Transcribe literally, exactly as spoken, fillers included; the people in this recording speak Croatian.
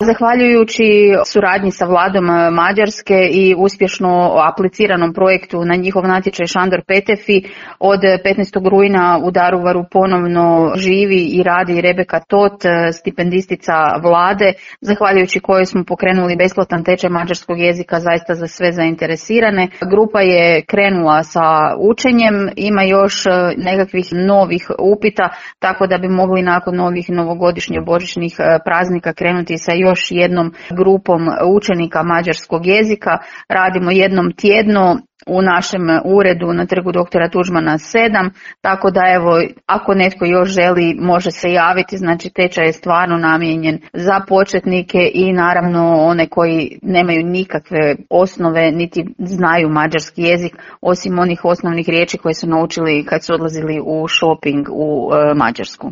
Zahvaljujući suradnji sa vladom Mađarske i uspješno apliciranom projektu na njihov natječaj Šandor Petefi, od petnaestog rujna u Daruvaru ponovno živi i radi Rebeka Tot, stipendistica vlade, zahvaljujući kojoj smo pokrenuli besplatan tečaj mađarskog jezika zaista za sve zainteresirane. Grupa je krenula sa učenjem, ima još nekakvih novih upita, tako da bi mogli nakon novih novogodišnjih božićnih praznika krenuti sa još još jednom grupom učenika mađarskog jezika. Radimo jednom tjedno u našem uredu na Trgu doktora Tuđmana sedam, tako da evo, ako netko još želi može se javiti, znači tečaj je stvarno namijenjen za početnike i naravno one koji nemaju nikakve osnove niti znaju mađarski jezik, osim onih osnovnih riječi koje su naučili kad su odlazili u shopping u Mađarsku.